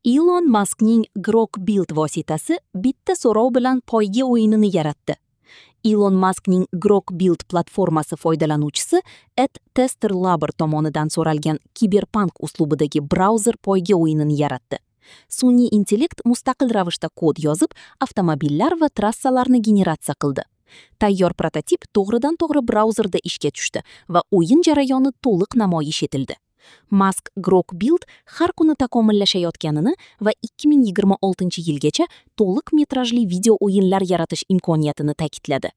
Ilon Maskning Grok Build vositasi bitta so'rov bilan poyga o'yinini yaratdi. Ilon Maskning Grok Build platformasi foydalanuvchisi @testerlabor tomonidan so'ralgan kiberpunk uslubidagi brauzer poyga o'yinini yaratdi. Sun'iy intellekt mustaqil ravishda kod yozib, avtomobillar va trassalarni generatsiya qildi. Tayyor prototip to'g'ridan-to'g'ri brauzerda ishga tushdi va o'yin jarayoni to'liq namoyish etildi. Mask Grok Build har kuni takomillashayotganini va 2026-yilgacha to'liq metrajli video o'yinlar yaratish imkoniyatini ta'kidladi.